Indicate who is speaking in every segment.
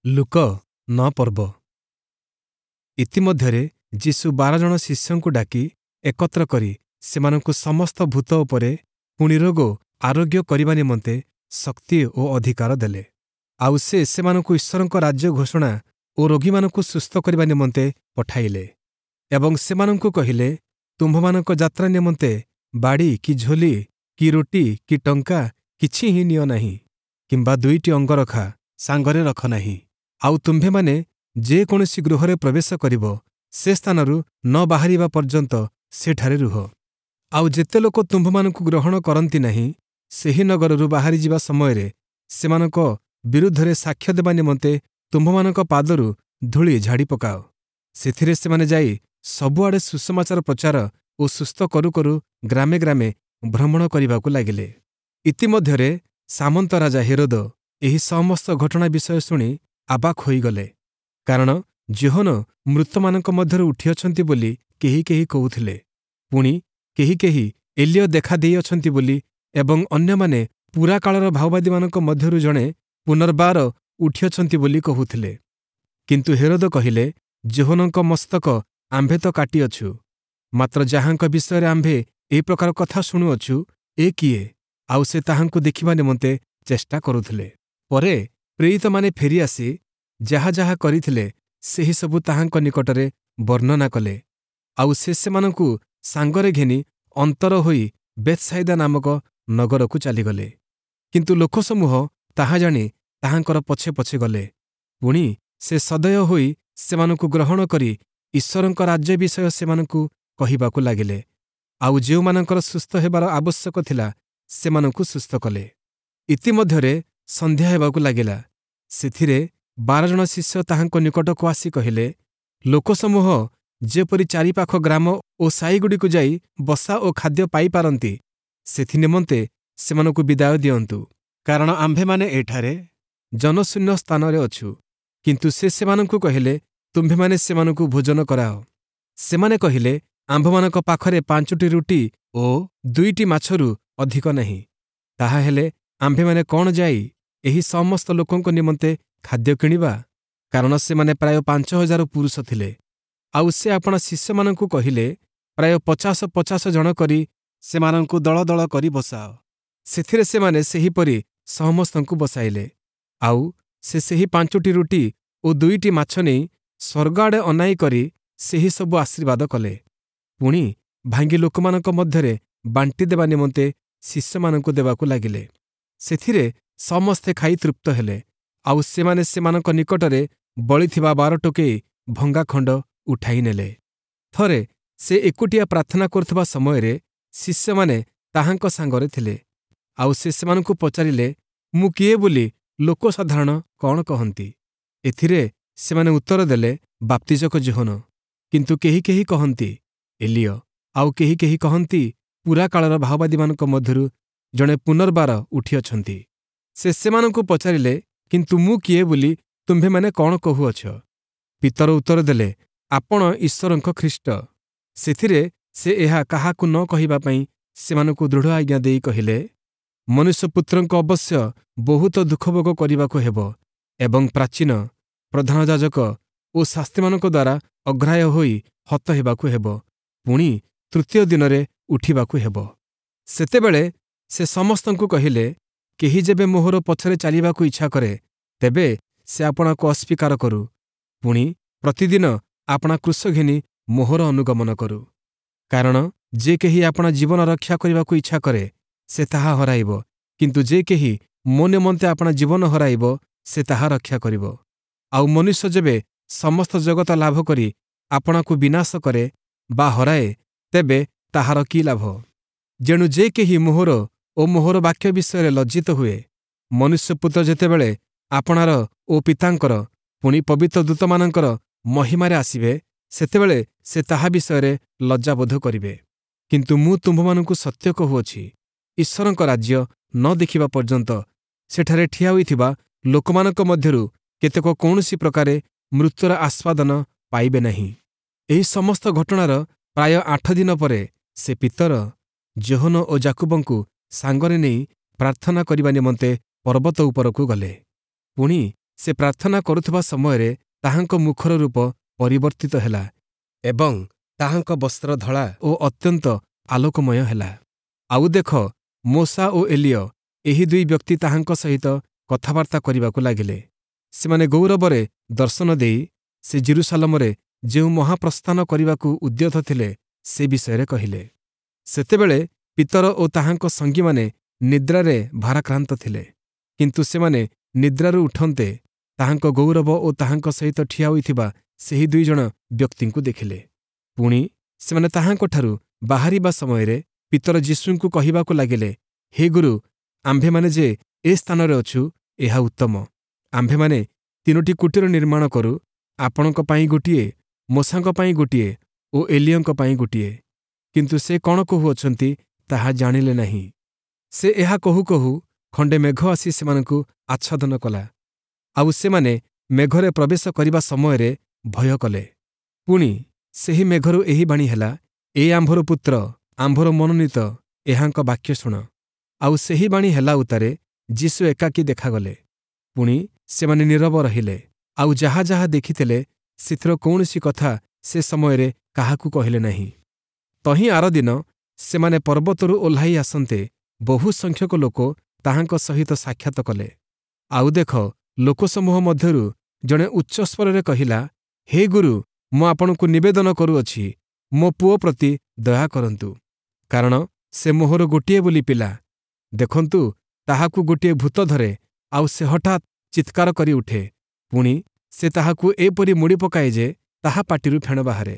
Speaker 1: ଲୂକ 9 ପର୍ବ। ଇତିମଧ୍ୟରେ ଯୀଶୁ 12 ଜଣ ଶିଷ୍ୟଙ୍କୁ ଡାକି ଏକତ୍ର କରି ସେମାନଙ୍କୁ ସମସ୍ତ ଭୂତ ଉପରେ ପୁଣି ରୋଗ ଆରୋଗ୍ୟ କରିବା ନିମନ୍ତେ ଶକ୍ତି ଓ ଅଧିକାର ଦେଲେ। ଆଉ ସେ ସେମାନଙ୍କୁ ଈଶ୍ୱରଙ୍କ ରାଜ୍ୟ ଘୋଷଣା ଓ ରୋଗୀମାନଙ୍କୁ ସୁସ୍ଥ କରିବା ନିମନ୍ତେ ପଠାଇଲେ ଏବଂ ସେମାନଙ୍କୁ କହିଲେ, ତୁମ୍ଭମାନଙ୍କ ଯାତ୍ରା ନିମନ୍ତେ ବାଡ଼ି କି ଝୋଲି କି ରୁଟି କି ଟଙ୍କା କିଛି ହିଁ ନିଅ ନାହିଁ, କିମ୍ବା ଦୁଇଟି ଅଙ୍ଗରଖା ସାଙ୍ଗରେ ରଖ ନାହିଁ। ଆଉ ତୁମ୍ଭେମାନେ ଯେକୌଣସି ଗୃହରେ ପ୍ରବେଶ କରିବ, ସେ ସ୍ଥାନରୁ ନ ବାହାରିବା ପର୍ଯ୍ୟନ୍ତ ସେଠାରେ ରୁହ। ଆଉ ଯେତେ ଲୋକ ତୁମ୍ଭମାନଙ୍କୁ ଗ୍ରହଣ କରନ୍ତି ନାହିଁ, ସେହି ନଗରରୁ ବାହାରିଯିବା ସମୟରେ ସେମାନଙ୍କ ବିରୁଦ୍ଧରେ ସାକ୍ଷ୍ୟ ଦେବା ନିମନ୍ତେ ତୁମ୍ଭମାନଙ୍କ ପାଦରୁ ଧୂଳି ଝାଡ଼ି ପକାଅ। ସେଥିରେ ସେମାନେ ଯାଇ ସବୁଆଡ଼େ ସୁସମାଚାର ପ୍ରଚାର ଓ ସୁସ୍ଥ କରୁ କରୁ ଗ୍ରାମେ ଗ୍ରାମେ ଭ୍ରମଣ କରିବାକୁ ଲାଗିଲେ। ଇତିମଧ୍ୟରେ ସାମନ୍ତ ରାଜା ହେରୋଦ ଏହି ସମସ୍ତ ଘଟଣା ବିଷୟ ଶୁଣି ଆବାକ୍ ହୋଇଗଲେ, କାରଣ ଯୋହନ ମୃତମାନଙ୍କ ମଧ୍ୟରୁ ଉଠିଅଛନ୍ତି ବୋଲି କେହି କେହି କହୁଥିଲେ, ପୁଣି କେହି କେହି ଏଲୀୟ ଦେଖା ଦେଇଅଛନ୍ତି ବୋଲି ଏବଂ ଅନ୍ୟମାନେ ପୁରାକାଳର ଭାବବାଦୀମାନଙ୍କ ମଧ୍ୟରୁ ଜଣେ ପୁନର୍ବାର ଉଠିଅଛନ୍ତି ବୋଲି କହୁଥିଲେ। କିନ୍ତୁ ହେରୋଦ କହିଲେ, ଯୋହନଙ୍କ ମସ୍ତକ ଆମ୍ଭେ ତ କାଟିଅଛୁ, ମାତ୍ର ଯାହାଙ୍କ ବିଷୟରେ ଆମ୍ଭେ ଏହି ପ୍ରକାର କଥା ଶୁଣୁଅଛୁ, ଏ କିଏ? ଆଉ ସେ ତାହାଙ୍କୁ ଦେଖିବା ନିମନ୍ତେ ଚେଷ୍ଟା କରୁଥିଲେ। ପରେ ପ୍ରେରିତମାନେ ଫେରିଆସି ଯାହା ଯାହା କରିଥିଲେ, ସେହିସବୁ ତାହାଙ୍କ ନିକଟରେ ବର୍ଣ୍ଣନା କଲେ। ଆଉ ସେ ସେମାନଙ୍କୁ ସାଙ୍ଗରେ ଘେନି ଅନ୍ତର ହୋଇ ବେଥ୍‌ସାଇଦା ନାମକ ନଗରକୁ ଚାଲିଗଲେ। କିନ୍ତୁ ଲୋକସମୂହ ତାହା ଜାଣି ତାହାଙ୍କର ପଛେ ପଛେ ଗଲେ। ପୁଣି ସେ ସଦୟ ହୋଇ ସେମାନଙ୍କୁ ଗ୍ରହଣ କରି ଈଶ୍ୱରଙ୍କ ରାଜ୍ୟ ବିଷୟ ସେମାନଙ୍କୁ କହିବାକୁ ଲାଗିଲେ, ଆଉ ଯେଉଁମାନଙ୍କର ସୁସ୍ଥ ହେବାର ଆବଶ୍ୟକ ଥିଲା, ସେମାନଙ୍କୁ ସୁସ୍ଥ କଲେ। ଇତିମଧ୍ୟରେ ସନ୍ଧ୍ୟା ହେବାକୁ ଲାଗିଲା। ସେଥିରେ 12 ଜଣ ଶିଷ୍ୟ ତାହାଙ୍କ ନିକଟକୁ ଆସି କହିଲେ, ଲୋକସମୂହ ଯେପରି ଚାରିପାଖ ଗ୍ରାମ ଓ ସାହିଗୁଡ଼ିକୁ ଯାଇ ବସା ଓ ଖାଦ୍ୟ ପାଇପାରନ୍ତି, ସେଥିନିମନ୍ତେ ସେମାନଙ୍କୁ ବିଦାୟ ଦିଅନ୍ତୁ, କାରଣ ଆମ୍ଭେମାନେ ଏଠାରେ ଜନଶୂନ୍ୟ ସ୍ଥାନରେ ଅଛୁ। କିନ୍ତୁ ସେ ସେମାନଙ୍କୁ କହିଲେ, ତୁମ୍ଭେମାନେ ସେମାନଙ୍କୁ ଭୋଜନ କରାଅ। ସେମାନେ କହିଲେ, ଆମ୍ଭମାନଙ୍କ ପାଖରେ 5ଟି ରୁଟି ଓ 2ଟି ମାଛରୁ ଅଧିକ ନାହିଁ। ତାହାହେଲେ ଆମ୍ଭେମାନେ କ'ଣ ଯାଇ ଏହି ସମସ୍ତ ଲୋକଙ୍କ ନିମନ୍ତେ ଖାଦ୍ୟ କିଣିବା? କାରଣ ସେମାନେ ପ୍ରାୟ 5000 ପୁରୁଷ ଥିଲେ। ଆଉ ସେ ଆପଣା ଶିଷ୍ୟମାନଙ୍କୁ କହିଲେ, ପ୍ରାୟ 50 50 ଜଣ କରି ସେମାନଙ୍କୁ ଦଳ ଦଳ କରି ବସାଅ। ସେଥିରେ ସେମାନେ ସେହିପରି ସମସ୍ତଙ୍କୁ ବସାଇଲେ। ଆଉ ସେ ସେହି 5ଟି ରୁଟି ଓ 2ଟି ମାଛ ନେଇ ସ୍ୱର୍ଗ ଆଡ଼େ ଅନାଇ କରି ସେହି ସବୁ ଆଶୀର୍ବାଦ କଲେ। ପୁଣି ଭାଙ୍ଗି ଲୋକମାନଙ୍କ ମଧ୍ୟରେ ବାଣ୍ଟି ଦେବା ନିମନ୍ତେ ଶିଷ୍ୟମାନଙ୍କୁ ଦେବାକୁ ଲାଗିଲେ। ସେଥିରେ ସମସ୍ତେ ଖାଇ ତୃପ୍ତ ହେଲେ। ଆଉ ସେମାନେ ସେମାନଙ୍କ ନିକଟରେ ବଳିଥିବା 12 ଟୋକେଇ ଭଙ୍ଗା ଖଣ୍ଡ ଉଠାଇ ନେଲେ। ଥରେ ସେ ଏକୁଟିଆ ପ୍ରାର୍ଥନା କରୁଥିବା ସମୟରେ ଶିଷ୍ୟମାନେ ତାହାଙ୍କ ସାଙ୍ଗରେ ଥିଲେ। ଆଉ ସେ ସେମାନଙ୍କୁ ପଚାରିଲେ, ମୁଁ କିଏ ବୋଲି ଲୋକସାଧାରଣ କ'ଣ କହନ୍ତି? ଏଥିରେ ସେମାନେ ଉତ୍ତର ଦେଲେ, ବାପ୍ତିଜକ ଯୋହନ, କିନ୍ତୁ କେହି କେହି କହନ୍ତି ଏଲୀୟ, ଆଉ କେହି କେହି କହନ୍ତି ପୁରାକାଳର ଭାବବାଦୀମାନଙ୍କ ମଧ୍ୟରୁ ଜଣେ ପୁନର୍ବାର ଉଠିଅଛନ୍ତି। ସେ ସେମାନଙ୍କୁ ପଚାରିଲେ, କିନ୍ତୁ ମୁଁ କିଏ ବୋଲି ତୁମ୍ଭେମାନେ କ'ଣ କହୁଅଛ? ପିତର ଉତ୍ତର ଦେଲେ, ଆପଣ ଈଶ୍ୱରଙ୍କ ଖ୍ରୀଷ୍ଟ। ସେଥିରେ ସେ ଏହା କାହାକୁ ନ କହିବା ପାଇଁ ସେମାନଙ୍କୁ ଦୃଢ଼ ଆଜ୍ଞା ଦେଇ କହିଲେ, ମନୁଷ୍ୟପୁତ୍ରଙ୍କ ଅବଶ୍ୟ ବହୁତ ଦୁଃଖଭୋଗ କରିବାକୁ ହେବ ଏବଂ ପ୍ରାଚୀନ, ପ୍ରଧାନ ଯାଜକ ଓ ଶାସ୍ତ୍ରୀମାନଙ୍କ ଦ୍ୱାରା ଅଗ୍ରାହ୍ୟ ହୋଇ ହତ ହେବାକୁ ହେବ, ପୁଣି ତୃତୀୟ ଦିନରେ ଉଠିବାକୁ ହେବ। ସେତେବେଳେ ସେ ସମସ୍ତଙ୍କୁ କହିଲେ, କେହି ଯେବେ ମୋହର ପଛରେ ଚାଲିବାକୁ ଇଚ୍ଛା କରେ, ତେବେ ସେ ଆପଣାକୁ ଅସ୍ୱୀକାର କରୁ, ପୁଣି ପ୍ରତିଦିନ ଆପଣା କ୍ରୁଶ ଘେନି ମୋହର ଅନୁଗମନ କରୁ। କାରଣ ଯେ କେହି ଆପଣା ଜୀବନ ରକ୍ଷା କରିବାକୁ ଇଚ୍ଛା କରେ, ସେ ତାହା ହରାଇବ, କିନ୍ତୁ ଯେ କେହି ମୋ ନିମନ୍ତେ ଆପଣା ଜୀବନ ହରାଇବ, ସେ ତାହା ରକ୍ଷା କରିବ। ଆଉ ମନୁଷ୍ୟ ଯେବେ ସମସ୍ତ ଜଗତ ଲାଭ କରି ଆପଣାକୁ ବିନାଶ କରେ ବା ହରାଏ, ତେବେ ତାହାର କି ଲାଭ? ଯେଣୁ ଯେ କେହି ମୋହର ଓ ମୋହର ବାକ୍ୟ ବିଷୟରେ ଲଜ୍ଜିତ ହୁଏ, ମନୁଷ୍ୟପୁତ୍ର ଯେତେବେଳେ ଆପଣାର ଓ ପିତାଙ୍କର ପୁଣି ପବିତ୍ର ଦୂତମାନଙ୍କର ମହିମାରେ ଆସିବେ, ସେତେବେଳେ ସେ ତାହା ବିଷୟରେ ଲଜ୍ଜାବୋଧ କରିବେ। କିନ୍ତୁ ମୁଁ ତୁମ୍ଭମାନଙ୍କୁ ସତ୍ୟ କହୁଅଛି, ଈଶ୍ୱରଙ୍କ ରାଜ୍ୟ ନ ଦେଖିବା ପର୍ଯ୍ୟନ୍ତ ସେଠାରେ ଠିଆ ହୋଇଥିବା ଲୋକମାନଙ୍କ ମଧ୍ୟରୁ କେତେକ କୌଣସି ପ୍ରକାରେ ମୃତ୍ୟୁର ଆସ୍ୱାଦନ ପାଇବେ ନାହିଁ। ଏହି ସମସ୍ତ ଘଟଣାର ପ୍ରାୟ 8 ଦିନ ପରେ ସେ ପିତର, ଯୋହନ ଓ ଯାକୁବଙ୍କୁ ସାଙ୍ଗରେ ନେଇ ପ୍ରାର୍ଥନା କରିବା ନିମନ୍ତେ ପର୍ବତ ଉପରକୁ ଗଲେ। ପୁଣି ସେ ପ୍ରାର୍ଥନା କରୁଥିବା ସମୟରେ ତାହାଙ୍କ ମୁଖର ରୂପ ପରିବର୍ତ୍ତିତ ହେଲା ଏବଂ ତାହାଙ୍କ ବସ୍ତ୍ର ଧଳା ଓ ଅତ୍ୟନ୍ତ ଆଲୋକମୟ ହେଲା। ଆଉ ଦେଖ, ମୋଶା ଓ ଏଲିୟ, ଏହି ଦୁଇ ବ୍ୟକ୍ତି ତାହାଙ୍କ ସହିତ କଥାବାର୍ତ୍ତା କରିବାକୁ ଲାଗିଲେ। ସେମାନେ ଗୌରବରେ ଦର୍ଶନ ଦେଇ ସେ ଯିରୂଶାଲମରେ ଯେଉଁ ମହାପ୍ରସ୍ଥାନ କରିବାକୁ ଉଦ୍ୟତ ଥିଲେ, ସେ ବିଷୟରେ କହିଲେ। ସେତେବେଳେ ପିତର ଓ ତାହାଙ୍କ ସଙ୍ଗୀମାନେ ନିଦ୍ରାରେ ଭାରାକ୍ରାନ୍ତ ଥିଲେ। କିନ୍ତୁ ସେମାନେ ନିଦ୍ରାରୁ ଉଠନ୍ତେ ତାହାଙ୍କ ଗୌରବ ଓ ତାହାଙ୍କ ସହିତ ଠିଆ ହୋଇଥିବା ସେହି ଦୁଇଜଣ ବ୍ୟକ୍ତିଙ୍କୁ ଦେଖିଲେ। ପୁଣି ସେମାନେ ତାହାଙ୍କଠାରୁ ବାହାରିବା ସମୟରେ ପିତର ଯୀଶୁଙ୍କୁ କହିବାକୁ ଲାଗିଲେ, ହେ ଗୁରୁ, ଆମ୍ଭେମାନେ ଯେ ଏ ସ୍ଥାନରେ ଅଛୁ, ଏହା ଉତ୍ତମ। ଆମ୍ଭେମାନେ ତିନୋଟି କୁଟୀର ନିର୍ମାଣ କରୁ, ଆପଣଙ୍କ ପାଇଁ ଗୋଟିଏ, ମୋଶାଙ୍କ ପାଇଁ ଗୋଟିଏ ଓ ଏଲିୟଙ୍କ ପାଇଁ ଗୋଟିଏ। କିନ୍ତୁ ସେ କ'ଣ କହୁଅଛନ୍ତି, ତାହା ଜାଣିଲେ ନାହିଁ। ସେ ଏହା କହୁ କହୁ ଖଣ୍ଡେ ମେଘ ଆସି ସେମାନଙ୍କୁ ଆଚ୍ଛାଦନ କଲା। ଆଉ ସେମାନେ ମେଘରେ ପ୍ରବେଶ କରିବା ସମୟରେ ଭୟ କଲେ। ପୁଣି ସେହି ମେଘରୁ ଏହି ବାଣୀ ହେଲା, ଏ ଆମ୍ଭର ପୁତ୍ର, ଆମ୍ଭର ମନୋନୀତ, ଏହାଙ୍କ ବାକ୍ୟ ଶୁଣ। ଆଉ ସେହି ବାଣୀ ହେଲା ଉତ୍ତାରେ ଯୀଶୁ ଏକାକୀ ଦେଖାଗଲେ। ପୁଣି ସେମାନେ ନୀରବ ରହିଲେ, ଆଉ ଯାହା ଯାହା ଦେଖିଥିଲେ ସେଥିର କୌଣସି କଥା ସେ ସମୟରେ କାହାକୁ କହିଲେ ନାହିଁ। ତହିଁ ଆରଦିନ ସେମାନେ ପର୍ବତରୁ ଓହ୍ଲାଇ ଆସନ୍ତେ ବହୁ ସଂଖ୍ୟକ ଲୋକ ତାହାଙ୍କ ସହିତ ସାକ୍ଷାତ କଲେ। ଆଉ ଦେଖ, ଲୋକସମୂହ ମଧ୍ୟରୁ ଜଣେ ଉଚ୍ଚସ୍ୱରରେ କହିଲା, ହେ ଗୁରୁ, ମୁଁ ଆପଣଙ୍କୁ ନିବେଦନ କରୁଅଛି, ମୋ ପୁଅ ପ୍ରତି ଦୟା କରନ୍ତୁ, କାରଣ ସେ ମୋହର ଗୋଟିଏ ବୋଲି ପିଲା। ଦେଖନ୍ତୁ, ତାହାକୁ ଗୋଟିଏ ଭୂତ ଧରେ, ଆଉ ସେ ହଠାତ୍ ଚିତ୍କାର କରି ଉଠେ। ପୁଣି ସେ ତାହାକୁ ଏପରି ମୋଡ଼ି ପକାଏ ଯେ ତାହା ପାଟିରୁ ଫେଣ ବାହାରେ।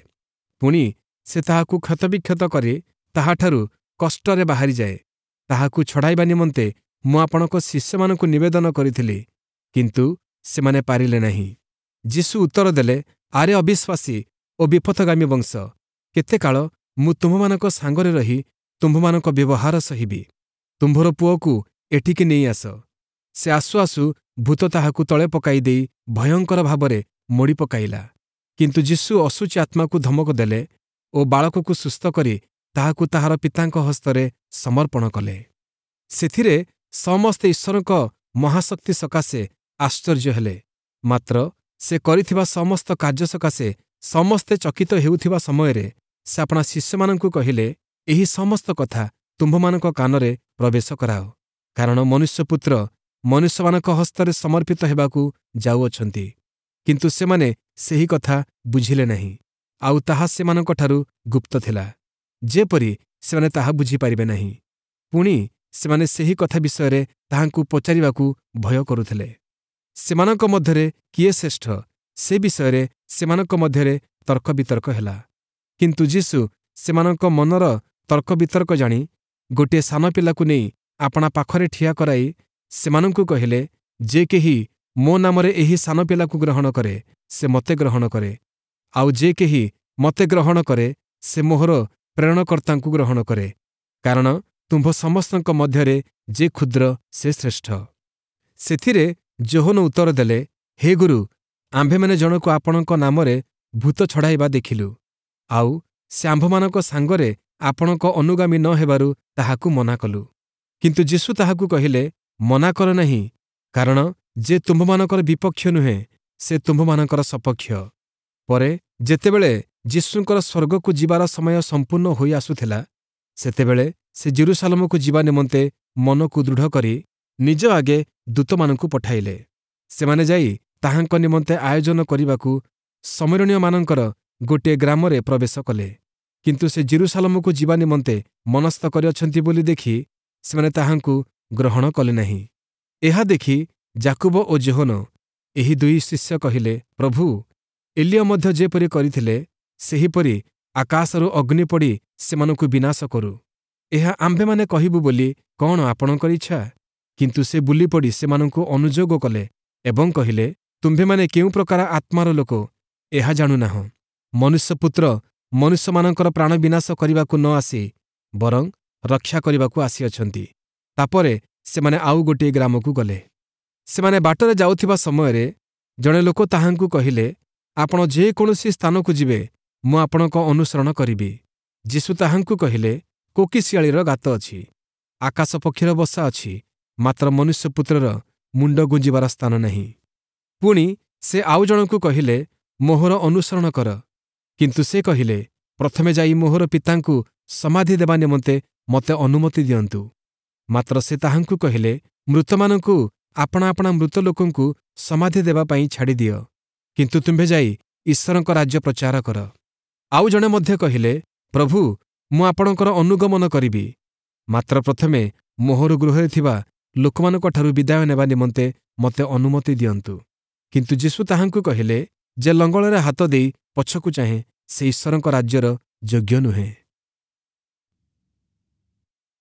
Speaker 1: ପୁଣି ସେ ତାହାକୁ କ୍ଷତବିକ୍ଷତ କରି ତାହାଠାରୁ କଷ୍ଟରେ ବାହାରିଯାଏ। ତାହାକୁ ଛଡ଼ାଇବା ନିମନ୍ତେ ମୁଁ ଆପଣଙ୍କ ଶିଷ୍ୟମାନଙ୍କୁ ନିବେଦନ କରିଥିଲି, କିନ୍ତୁ ସେମାନେ ପାରିଲେ ନାହିଁ। ଯୀଶୁ ଉତ୍ତର ଦେଲେ, ଆରେ ଅବିଶ୍ୱାସୀ ଓ ବିପଥଗାମୀ ବଂଶ, କେତେ କାଳ ମୁଁ ତୁମ୍ଭମାନଙ୍କ ସାଙ୍ଗରେ ରହି ତୁମ୍ଭମାନଙ୍କ ବ୍ୟବହାର ସହିବି? ତୁମ୍ଭର ପୁଅକୁ ଏଠିକି ନେଇ ଆସ। ସେ ଆସୁ ଆସୁ ଭୂତ ତାହାକୁ ତଳେ ପକାଇ ଦେଇ ଭୟଙ୍କର ଭାବରେ ମୋଡ଼ି ପକାଇଲା। କିନ୍ତୁ ଯୀଶୁ ଅଶୁଚି ଆତ୍ମାକୁ ଧମକ ଦେଲେ ଓ ବାଳକକୁ ସୁସ୍ଥ କରି ତାହାକୁ ତାହାର ପିତାଙ୍କ ହସ୍ତରେ ସମର୍ପଣ କଲେ। ସେଥିରେ ସମସ୍ତେ ଈଶ୍ୱରଙ୍କ ମହାଶକ୍ତି ସକାଶେ ଆଶ୍ଚର୍ଯ୍ୟ ହେଲେ। ମାତ୍ର ସେ କରିଥିବା ସମସ୍ତ କାର୍ଯ୍ୟ ସକାଶେ ସମସ୍ତେ ଚକିତ ହେଉଥିବା ସମୟରେ ସେ ଆପଣା ଶିଷ୍ୟମାନଙ୍କୁ କହିଲେ, ଏହି ସମସ୍ତ କଥା ତୁମ୍ଭମାନଙ୍କ କାନରେ ପ୍ରବେଶ କରାଅ, କାରଣ ମନୁଷ୍ୟପୁତ୍ର ମନୁଷ୍ୟମାନଙ୍କ ହସ୍ତରେ ସମର୍ପିତ ହେବାକୁ ଯାଉଅଛନ୍ତି। କିନ୍ତୁ ସେମାନେ ସେହି କଥା ବୁଝିଲେ ନାହିଁ, ଆଉ ତାହା ସେମାନଙ୍କଠାରୁ ଗୁପ୍ତ ଥିଲା, ଯେପରି ସେମାନେ ତାହା ବୁଝିପାରିବେ ନାହିଁ। ପୁଣି ସେମାନେ ସେହି କଥା ବିଷୟରେ ତାହାଙ୍କୁ ପଚାରିବାକୁ ଭୟ କରୁଥିଲେ। ସେମାନଙ୍କ ମଧ୍ୟରେ କିଏ ଶ୍ରେଷ୍ଠ, ସେ ବିଷୟରେ ସେମାନଙ୍କ ମଧ୍ୟରେ ତର୍କ ବିତର୍କ ହେଲା। କିନ୍ତୁ ଯୀଶୁ ସେମାନଙ୍କ ମନର ତର୍କ ବିତର୍କ ଜାଣି ଗୋଟିଏ ସାନ ପିଲାକୁ ନେଇ ଆପଣା ପାଖରେ ଠିଆ କରାଇ ସେମାନଙ୍କୁ କହିଲେ, ଯେ କେହି ମୋ ନାମରେ ଏହି ସାନ ପିଲାକୁ ଗ୍ରହଣ କରେ, ସେ ମୋତେ ଗ୍ରହଣ କରେ, ଆଉ ଯେ କେହି ମୋତେ ଗ୍ରହଣ କରେ, ସେ ମୋହର ପ୍ରେରଣକର୍ତ୍ତାଙ୍କୁ ଗ୍ରହଣ କରେ। କାରଣ ତୁମ୍ଭ ସମସ୍ତଙ୍କ ମଧ୍ୟରେ ଯେ କ୍ଷୁଦ୍ର, ସେ ଶ୍ରେଷ୍ଠ। ସେଥିରେ ଯୋହନ ଉତ୍ତର ଦେଲେ, ହେ ଗୁରୁ, ଆମ୍ଭେମାନେ ଜଣକୁ ଆପଣଙ୍କ ନାମରେ ଭୂତ ଛଡ଼ାଇବା ଦେଖିଲୁ, ଆଉ ସେ ଆମ୍ଭମାନଙ୍କ ସାଙ୍ଗରେ ଆପଣଙ୍କ ଅନୁଗାମୀ ନ ହେବାରୁ ତାହାକୁ ମନା କଲୁ। କିନ୍ତୁ ଯୀଶୁ ତାହାକୁ କହିଲେ, ମନା କର ନାହିଁ, କାରଣ ଯେ ତୁମ୍ଭମାନଙ୍କର ବିପକ୍ଷ ନୁହେଁ, ସେ ତୁମ୍ଭମାନଙ୍କର ସପକ୍ଷ। ପରେ ଯେତେବେଳେ ଯୀଶୁଙ୍କର ସ୍ୱର୍ଗକୁ ଯିବାର ସମୟ ସମ୍ପୂର୍ଣ୍ଣ ହୋଇ ଆସୁଥିଲା, ସେତେବେଳେ ସେ ଯିରୂଶାଲମକୁ ଯିବା ନିମନ୍ତେ ମନକୁ ଦୃଢ଼ କରି ନିଜ ଆଗେ ଦୂତମାନଙ୍କୁ ପଠାଇଲେ। ସେମାନେ ଯାଇ ତାହାଙ୍କ ନିମନ୍ତେ ଆୟୋଜନ କରିବାକୁ ଶମିରୋଣୀୟମାନଙ୍କର ଗୋଟିଏ ଗ୍ରାମରେ ପ୍ରବେଶ କଲେ। କିନ୍ତୁ ସେ ଯିରୂଶାଲମକୁ ଯିବା ନିମନ୍ତେ ମନସ୍ଥ କରିଅଛନ୍ତି ବୋଲି ଦେଖି ସେମାନେ ତାହାଙ୍କୁ ଗ୍ରହଣ କଲେ ନାହିଁ। ଏହା ଦେଖି ଯାକୁବ ଓ ଯୋହନ, ଏହି ଦୁଇ ଶିଷ୍ୟ କହିଲେ, ପ୍ରଭୁ, ଏଲିୟ ମଧ୍ୟ ଯେପରି କରିଥିଲେ, ସେହିପରି ଆକାଶରୁ ଅଗ୍ନି ପଡ଼ି ସେମାନଙ୍କୁ ବିନାଶ କରୁ, ଏହା ଆମ୍ଭେମାନେ କହିବୁ ବୋଲି କ'ଣ ଆପଣଙ୍କର ଇଚ୍ଛା? କିନ୍ତୁ ସେ ବୁଲିପଡ଼ି ସେମାନଙ୍କୁ ଅନୁଯୋଗ କଲେ ଏବଂ କହିଲେ, ତୁମ୍ଭେମାନେ କେଉଁ ପ୍ରକାର ଆତ୍ମାର ଲୋକ, ଏହା ଜାଣୁନାହଁ। ମନୁଷ୍ୟପୁତ୍ର ମନୁଷ୍ୟମାନଙ୍କର ପ୍ରାଣ ବିନାଶ କରିବାକୁ ନ ଆସି ବରଂ ରକ୍ଷା କରିବାକୁ ଆସିଅଛନ୍ତି। ତାପରେ ସେମାନେ ଆଉ ଗୋଟିଏ ଗ୍ରାମକୁ ଗଲେ। ସେମାନେ ବାଟରେ ଯାଉଥିବା ସମୟରେ ଜଣେ ଲୋକ ତାହାଙ୍କୁ କହିଲେ, ଆପଣ ଯେକୌଣସି ସ୍ଥାନକୁ ଯିବେ, ମୁଁ ଆପଣଙ୍କ ଅନୁସରଣ କରିବି। ଯୀଶୁ ତାହାଙ୍କୁ କହିଲେ, କୋକିଶିଆଳିର ଗାତ ଅଛି, ଆକାଶ ପକ୍ଷୀର ବସା ଅଛି, ମାତ୍ର ମନୁଷ୍ୟପୁତ୍ରର ମୁଣ୍ଡ ଗୁଞ୍ଜିବାର ସ୍ଥାନ ନାହିଁ। ପୁଣି ସେ ଆଉ ଜଣଙ୍କୁ କହିଲେ, ମୋହର ଅନୁସରଣ କର। କିନ୍ତୁ ସେ କହିଲେ, ପ୍ରଥମେ ଯାଇ ମୋହର ପିତାଙ୍କୁ ସମାଧି ଦେବା ନିମନ୍ତେ ମୋତେ ଅନୁମତି ଦିଅନ୍ତୁ। ମାତ୍ର ସେ ତାହାଙ୍କୁ କହିଲେ, ମୃତମାନଙ୍କୁ ଆପଣା ଆପଣା ମୃତ ଲୋକଙ୍କୁ ସମାଧି ଦେବା ପାଇଁ ଛାଡ଼ିଦିଅ, କିନ୍ତୁ ତୁମ୍ଭେ ଯାଇ ଈଶ୍ୱରଙ୍କ ରାଜ୍ୟ ପ୍ରଚାର କର। ଆଉ ଜଣେ ମଧ୍ୟ କହିଲେ, ପ୍ରଭୁ, ମୁଁ ଆପଣଙ୍କର ଅନୁଗମନ କରିବି, ମାତ୍ର ପ୍ରଥମେ ମୋହର ଗୃହରେ ଥିବା ଲୋକମାନଙ୍କଠାରୁ ବିଦାୟ ନେବା ନିମନ୍ତେ ମୋତେ ଅନୁମତି ଦିଅନ୍ତୁ। କିନ୍ତୁ ଯୀଶୁ ତାହାଙ୍କୁ କହିଲେ, ଯେ ଲଙ୍ଗଳରେ ହାତ ଦେଇ ପଛକୁ ଚାହେଁ, ସେ ଈଶ୍ୱରଙ୍କ ରାଜ୍ୟର ଯୋଗ୍ୟ ନୁହେଁ।